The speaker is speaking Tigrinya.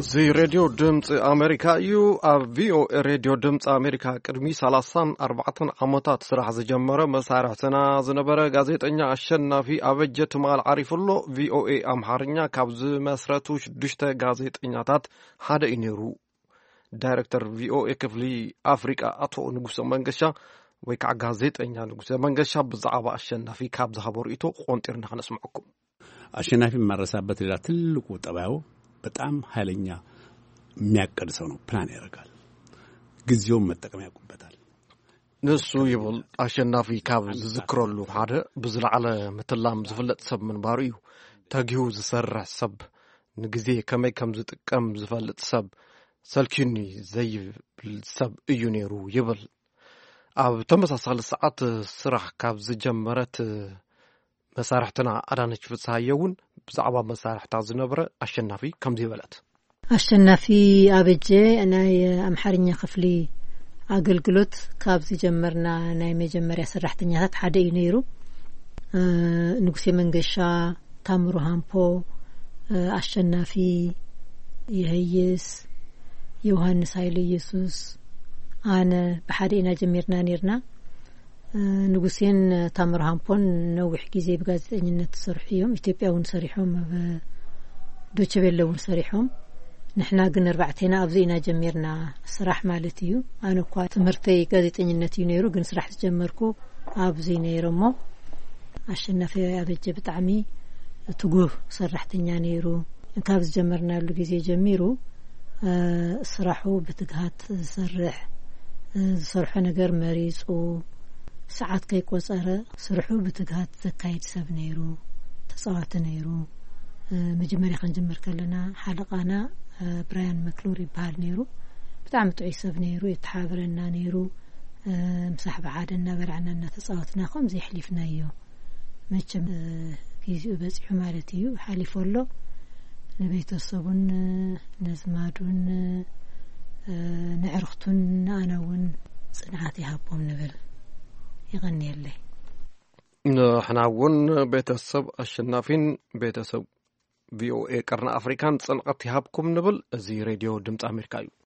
እዚ ሬድዮ ድምፂ ኣሜሪካ እዩ። ኣብ ቪኦኤ ሬድዮ ድምፂ ኣሜሪካ ቅድሚ ሰላሳን ኣርባዕተን ዓመታት ስራሕ ዝጀመረ መሳርሕትና ዝነበረ ጋዜጠኛ ኣሸናፊ ኣበጀ ትማል ዓሪፉ ኣሎ። ቪኦኤ ኣምሓርኛ ካብ ዝመስረቱ ሽዱሽተ ጋዜጠኛታት ሓደ እዩ ነይሩ። ዳይሬክተር ቪኦኤ ክፍሊ ኣፍሪቃ ኣቶ ንጉሰ መንገሻ ወይ ከዓ ጋዜጠኛ ንጉሰ መንገሻ ብዛዕባ ኣሸናፊ ካብ ዝሃቦ ርእይቶ ቆንጢርና ከነስምዐኩም። አሸናፊ የማረሳበት ሌላ ትልቁ ጠባዩ በጣም ኃይለኛ የሚያቅድ ሰው ነው። ፕላን ያደርጋል። ጊዜውን መጠቀም ያውቁበታል። ንሱ ይብል ኣሸናፊ ካብ ዝዝክረሉ ሓደ ብዝለዓለ ምትላም ዝፍለጥ ሰብ ምንባሩ እዩ። ተጊሁ ዝሰርሕ ሰብ፣ ንግዜ ከመይ ከም ዝጥቀም ዝፈልጥ ሰብ፣ ሰልኪኒ ዘይብል ሰብ እዩ ነይሩ ይብል። ኣብ ተመሳሳሊ ሰዓት ስራሕ ካብ ዝጀመረት መሳርሕትና ኣዳነች ፍስሃየ እውን ብዛዕባ መሳርሕታ ዝነበረ ኣሸናፊ ከምዚ ይበለት። ኣሸናፊ ኣበጀ ናይ ኣምሓርኛ ክፍሊ ኣገልግሎት ካብ ዝጀመርና ናይ መጀመርያ ሰራሕተኛታት ሓደ እዩ ነይሩ። እ፣ ንጉሴ መንገሻ፣ ታምሩ ሃምፖ፣ እ፣ ኣሸናፊ የህይስ፣ ዮሃንስ ኃይለ ኢየሱስ፣ ኣነ ብሓደ ኢና ጀሚርና ነይርና። እ፣ ንጉሴን ታምሩ ሃምፖን ነዊሕ ግዜ ብጋዜጠኝነት ዝሰርሑ እዮም። ኢትዮጵያ እውን ሰሪሖም፣ ኣብ ዶቼ ቬለ እውን ሰሪሖም። ንሕና ግን ኣርባዕቴና ኣብዚ ኢና ጀሚርና ስራሕ ማለት እዩ። ኣነ እኳ ትምህርተይ ጋዜጠኝነት እዩ ነይሩ፣ ግን ስራሕ ዝጀመርኩ ኣብዚ ነይረ እሞ ኣሸናፊ ኣበጀ ብጣዕሚ ትጉህ ሰራሕተኛ ነይሩ። ካብ ዝጀመርናሉ ግዜ ጀሚሩ፣ እ፣ ስራሑ ብትግሃት ዝሰርሕ፣ እ፣ ዝሰርሖ ነገር መሪጹ፣ ሰዓት ከይቆጸረ ስርሑ ብትግሃት ዘካይድ ሰብ ነይሩ፣ ተጻዋቲ ነይሩ። እ፣ መጀመርያ ክንጅምር ከለና ሓለቓና፣ እ፣ ብራያን መክሉር ይበሃል ነይሩ። ብጣዕሚ ጥዑይ ሰብ ነይሩ፣ የተሓባብረና ነይሩ። እ፣ ምሳሕ ብሓደ እናበላዕና እናተጻወትና ከምዚ የሕሊፍናዮ። መቸም፣ እ፣ ጊዜኡ በጺሑ ማለት እዩ፣ ሓሊፉ ኣሎ። ንቤተሰቡን፣ እ፣ ነዝማዱን፣ እ፣ ንዕርኽቱን ንኣና እውን ጽንዓት ይሃቦም ንብል። ይቐንየለይ። ንሕና እውን ቤተሰብ ኣሸናፊን ቤተሰብ ቪኦኤ ቀርኒ ኣፍሪካን ጽንዓት ይሃብኩም ንብል። እዚ ሬድዮ ድምፂ ኣሜሪካ እዩ።